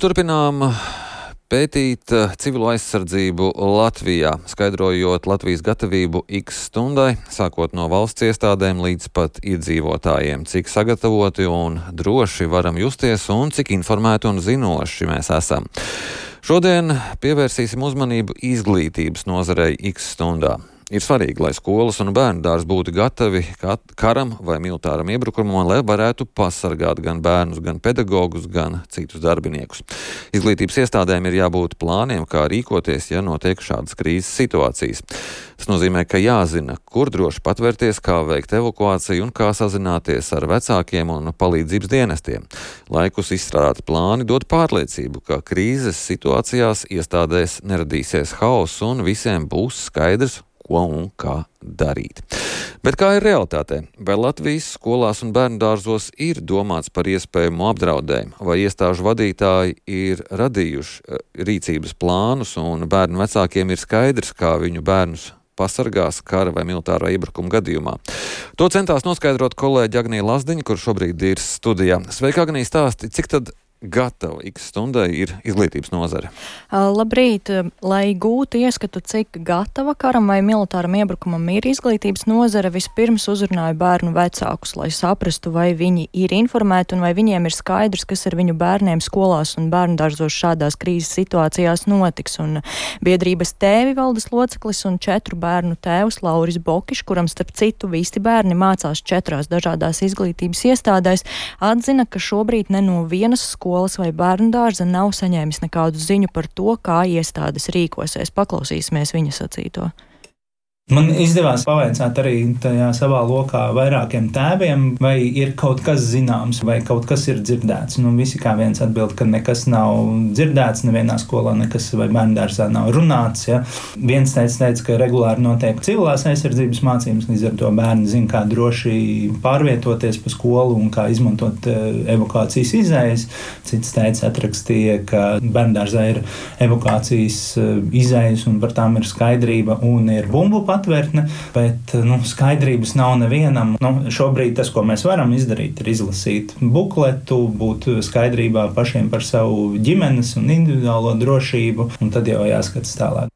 Turpinām pētīt civilo aizsardzību Latvijā, skaidrojot Latvijas gatavību X stundai, sākot no valsts iestādēm līdz pat iedzīvotājiem, cik sagatavoti un droši varam justies un cik informēti un zinoši mēs esam. Šodien pievērsīsim uzmanību izglītības nozarei X stundā. Ir svarīgi, lai skolas un bērnudārzi būtu gatavi karam vai militāram iebrukumam, lai varētu pasargāt gan bērnus, gan pedagogus, gan citus darbiniekus. Izglītības iestādēm ir jābūt plāniem, kā rīkoties, ja notiek šādas krīzes situācijas. Tas nozīmē, ka jāzina, kur droši patvērties, kā veikt evakuāciju un kā sazināties ar vecākiem un palīdzības dienestiem. Laikus izstrādāti plāni dod pārliecību, ka krīzes situācijās iestādēs neradīsies hauss un visiem būs skaidrs, ko un kā darīt. Bet kā ir realitātē? Vai Latvijas skolās un bērnudārzos ir domāts par iespējamu apdraudējumu, vai iestāžu vadītāji ir radījuši rīcības plānus un bērnu vecākiem ir skaidrs, kā viņu bērnus pasargās kara vai militārā iebrukuma gadījumā? To centās noskaidrot kolēģi Agnija Lazdiņa, kur šobrīd ir studijā. Sveika, Agnija, stāsti, cik tad gatava X stundai ir izglītības nozare? Labrīt! Lai gūtu ieskatu, cik gatava karam vai militāram iebrukumam ir izglītības nozare, vispirms uzrunāju bērnu vecākus, lai saprastu, vai viņi ir informēti un vai viņiem ir skaidrs, kas ar viņu bērniem skolās un bērnudārzos šādās krīzes situācijās notiks. Un biedrības tēvi valdes loceklis un 4 bērnu tēvs Lauris Bokišs, kuram starp citu visi bērni mācās 4 dažādās izglītības iestādēs, atzina, ka šobrīd ne no vienas skolas vai bērnudārza nav saņēmis nekādu ziņu par to, kā iestādes rīkosies. Paklausīsimies viņa sacīto. Man izdevās pavaicāt arī tajā savā lokā vairākiem tēviem, vai ir kaut kas zināms, vai kaut kas ir dzirdēts. Visi kā viens atbild, ka nekas nav dzirdēts, nevienā skolā nekas vai bērnudārzā nav runāts. Ja. Viens teica, ka regulāri notiek civilās aizsardzības mācības, līdz ar to bērni zina, kā droši pārvietoties pa skolu un kā izmantot evakuācijas izējas. Cits teica, atrakstīja, ka bērnudārzā ir evakuācijas izējas un par tām ir skaidrība un ir bumbu patvērtne, bet skaidrības nav nevienam. Šobrīd tas, ko mēs varam izdarīt, ir izlasīt bukletu, būt skaidrībā pašiem par savu ģimenes un individuālo drošību, un tad jau jāskatās tālāk.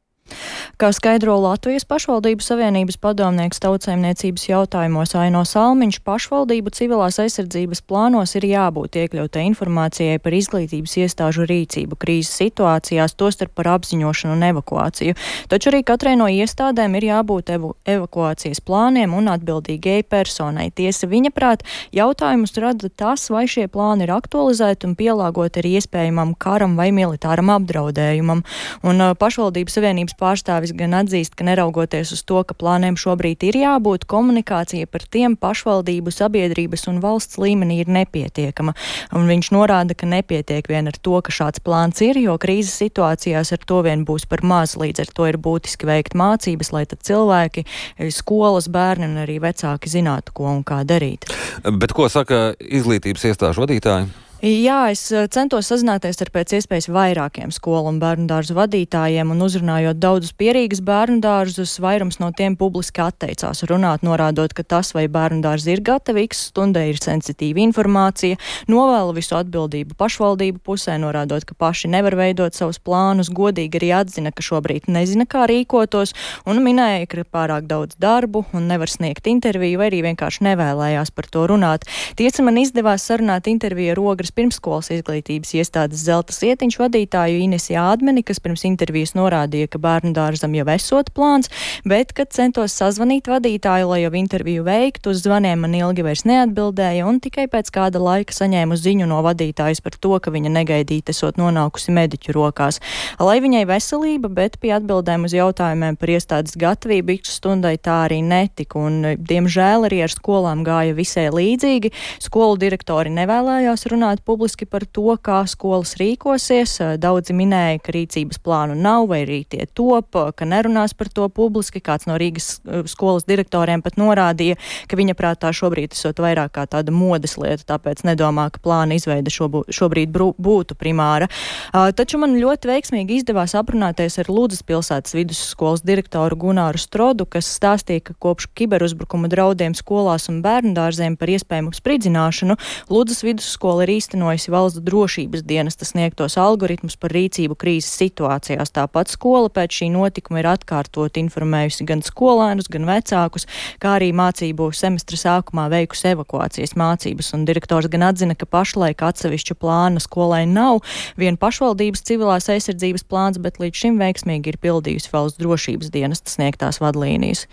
Kā skaidro Latvijas pašvaldību savienības padomnieks tautsaimniecības jautājumos Aino Salmiņš, pašvaldību civilās aizsardzības plānos ir jābūt iekļautai informācijai par izglītības iestāžu rīcību krīzes situācijās, tostarp par apziņošanu un evakuāciju. Taču arī katrai no iestādēm ir jābūt evakuācijas plāniem un atbildīgai personai. Tiesa viņa prāt, jautājumus rada tas, vai šie plāni ir aktualizēti un pielāgoti arī iespējamam karam vai militāram apdraudējumam. Un pašvaldību savienības pārstāvis gan atzīst, ka neraugoties uz to, ka plāniem šobrīd ir jābūt, komunikācija par tiem pašvaldību, sabiedrības un valsts līmenī ir nepietiekama. Un viņš norāda, ka nepietiek vien ar to, ka šāds plāns ir, jo krīzes situācijās ar to vien būs par maz, līdz ar to ir būtiski veikt mācības, lai tad cilvēki, skolas, bērni un arī vecāki zinātu, ko un kā darīt. Bet ko saka izglītības iestāžu vadītāji? Jā, es centos sazināties ar pēc iespējas vairākiem skolu un bērnudārzu vadītājiem un uzrunājot daudzus pierīgas bērnudārzus, vairums no tiem publiski atteicās runāt, norādot, ka tas, vai bērnudārzi ir gatavi X stundai, ir sensitīva informācija, novēla visu atbildību pašvaldību pusē, norādot, ka paši nevar veidot savus plānus, godīgi arī atzina, ka šobrīd nezina, kā rīkotos, un minēja, ka ir pārāk daudz darbu un nevar sniegt interviju, vai arī vienkārši nevēlējās par to runāt. Tiesa, man izdevās sarunāt interviju ar Ogres pirmskolas izglītības iestādes Zelta Sietiņš vadītāju Inesi Ādmeni, kas pirms intervijas norādīja, ka bērnudārzam jau esot plāns, bet, kad centos sazvanīt vadītāju, lai jau interviju veiktu, uz zvaniem man ilgi vairs neatbildēja un tikai pēc kāda laika saņēmu ziņu no vadītājas par to, ka viņa negaidīt esot nonākusi mediķu rokās. Lai viņai veselība, bet pie atbildēm uz jautājumiem par iestādes gatavību X stundai tā arī netika, un diemžēl arī ar skolām gāja visai līdzīgi. Skolu direktori nevēlējās runāt publiski par to, kā skolas rīkosies. Daudzi minēja, ka rīcības plānu nav vai arī tie top, ka nerunās par to publiski. Kāds no Rīgas skolas direktoriem pat norādīja, ka viņa prātā šobrīd esot vairāk kā tāda modes lieta, tāpēc nedomā, ka plāna izveide šobrīd būtu primāra. Taču man ļoti veiksmīgi izdevās aprunāties ar Ludzas pilsētas vidusskolas direktoru Gunāru Strodu, kas stāstīja, ka kopš kiberuzbrukuma draudiem skolās un bērnudārziem par iespējamu spridzināšanu Ludzas vidusskola ir īstenojusi valsts drošības dienesta sniegtos algoritmus par rīcību krīzes situācijās. Tāpat skola pēc šī notikuma ir atkārtot informējusi gan skolēnus, gan vecākus, kā arī mācību semestra sākumā veikusi evakuācijas mācības. Un direktors gan atzina, ka pašlaik atsevišķa plāna skolai nav vien pašvaldības civilās aizsardzības plāns, bet līdz šim veiksmīgi ir pildījusi valsts drošības dienesta sniegtās vadlīnijas.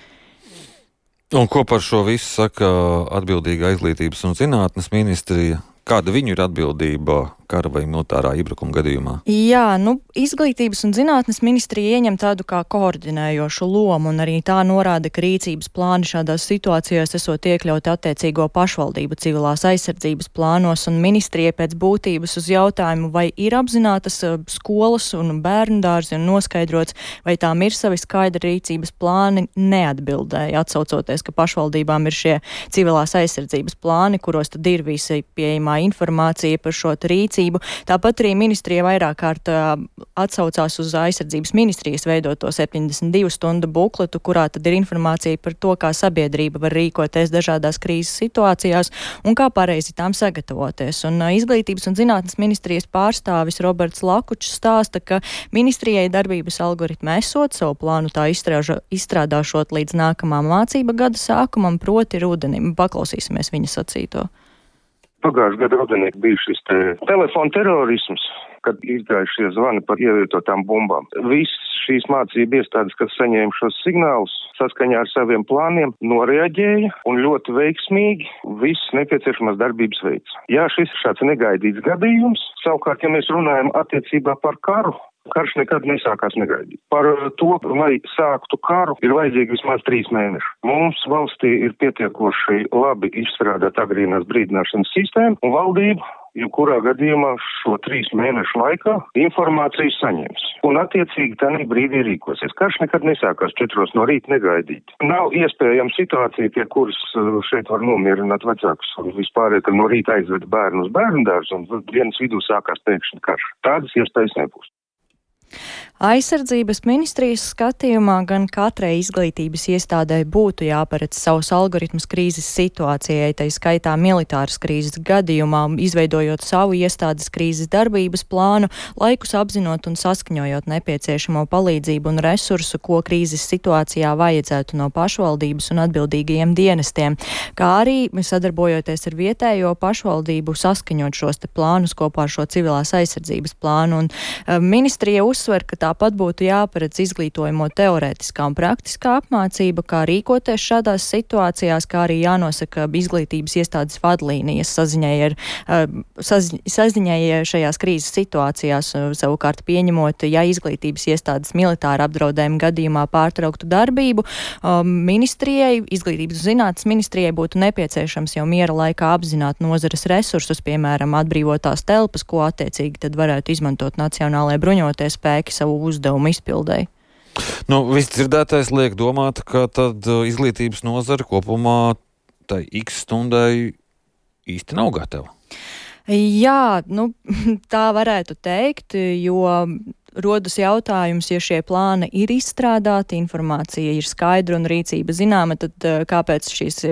Un ko par šo visu saka atbildīga izglītības un zinātnes ministrija? Kāda viņu ir atbildība kara vai militārā iebrukuma gadījumā? Jā, izglītības un zinātnes ministrija ieņem tādu kā koordinējošu lomu, un arī tā norāda, ka rīcības plāni šādās situācijās esot iekļauti attiecīgo pašvaldību civilās aizsardzības plānos, un ministrija pēc būtības uz jautājumu, vai ir apzinātas skolas un bērnu dārzi un noskaidrots, vai tām ir savi skaidri rīcības plāni, neatbildēja, atsaucoties, ka pašvaldībām ir šie civilās aizsardzības plāni, kuros tad ir visi pieejamā informācija par šo rīcību. Tāpat arī ministrija vairāk kārt atsaucās uz aizsardzības ministrijas veidoto 72 stundu bukletu, kurā tad ir informācija par to, kā sabiedrība var rīkoties dažādās krīzes situācijās un kā pareizi tām sagatavoties. Un izglītības un zinātnes ministrijas pārstāvis Roberts Lakučs stāsta, ka ministrijai darbības algoritmi esot, savu plānu tā izstrādāšot līdz nākamā mācība gada sākumam, proti rudenim. Paklausīsimies viņa sacīto. Pagājušajā gadā rudenī bija šis telefona terorisms, kad izgājušie zvani par ievietotām bumbām. Viss šīs mācību iestādes, kas saņēma šos signālus, saskaņā ar saviem plāniem, noreaģēja un ļoti veiksmīgi viss nepieciešamās darbības veids. Jā, šis šāds negaidīts gadījums. Savukārt, ja mēs runājam attiecībā par karu, karš nekad nesākās negaidīt. Par to, lai sāktu karu, ir vajadzīgi vismaz 3 mēneši. Mums valstī ir pietiekoši labi izstrādāt agrīnās brīdināšanas sistēmu, un valdība, jebkurā gadījumā šo 3 mēnešu laikā informāciju saņems. Un attiecīgi tādā brīdī rīkosies. Karš nekad nesākās 4 no rīta negaidīt. Nav iespējama situācija, pie kuras šeit var nomierināt vecākus un vispār, ka no rīta aizved bērnu uz bērnu dārzu un dienas vidū sākās pēkšņi karš. Tādas iespējas nebūs. Aizsardzības ministrijas skatījumā gan katrai izglītības iestādē būtu jāparedz savus algoritmus krīzes situācijai, tai skaitā militāras krīzes gadījumā, izveidojot savu iestādes krīzes darbības plānu, laikus apzinot un saskaņojot nepieciešamo palīdzību un resursu, ko krīzes situācijā vajadzētu no pašvaldības un atbildīgajiem dienestiem, kā arī sadarbojoties ar vietējo pašvaldību saskaņot šos te plānus kopā ar šo civilās aizsardzības plānu. Un ministrija uzsver, ka tāpat būtu jāparedz izglītojamo teorētiskā un praktiskā apmācība, kā rīkoties šādās situācijās, kā arī jānosaka izglītības iestādes vadlīnijas saziņai šajās krīzes situācijās, savukārt pieņemot, ja izglītības iestādes militāra apdraudējuma gadījumā pārtrauktu darbību, ministrijai, izglītības un zinātnes ministrijai būtu nepieciešams jau miera laikā apzināt nozares resursus, piemēram, atbrīvotās telpas, ko attiecīgi tad varētu izmantot Nacionālajie bruņotie spēki savu uzdevumu izpildēji. Viss dzirdētais liek domāt, ka tad izglītības nozara kopumā tai X stundai īsti nav gatava. Jā, tā varētu teikt, jo rodas jautājums, ja šie plāni ir izstrādāti, informācija ir skaidra un rīcība zināma, tad kāpēc šīs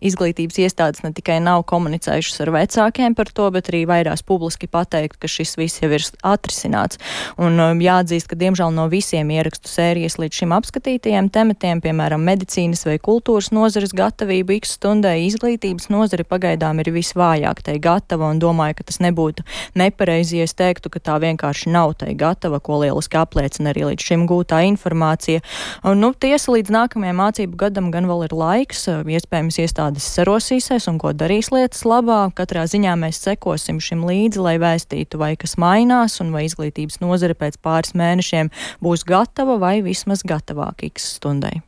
izglītības iestādes ne tikai nav komunicējušas ar vecākiem par to, bet arī vairās publiski pateikt, ka šis viss jau ir atrisināts. Un jāatzīst, ka diemžēl no visiem ierakstu sērijas līdz šim apskatītajiem tematiem, piemēram, medicīnas vai kultūras nozares gatavību X stundai, izglītības nozare pagaidām ir visvājāk tai gatava, un domāju, ka tas nebūtu nepareizi, ja es teiktu, ka tā vienkārši nav tai gatava, ko lieliski apliecina arī līdz šim gūtā informācija. Un, tiesa līdz nākamajam mācību gadam gan vēl ir laiks, iespējams iestādes sarosīsies un ko darīs lietas labā. Katrā ziņā mēs sekosim šim līdzi, lai vēstītu, vai kas mainās un vai izglītības nozare pēc pāris mēnešiem būs gatava vai vismaz gatavāk X stundai.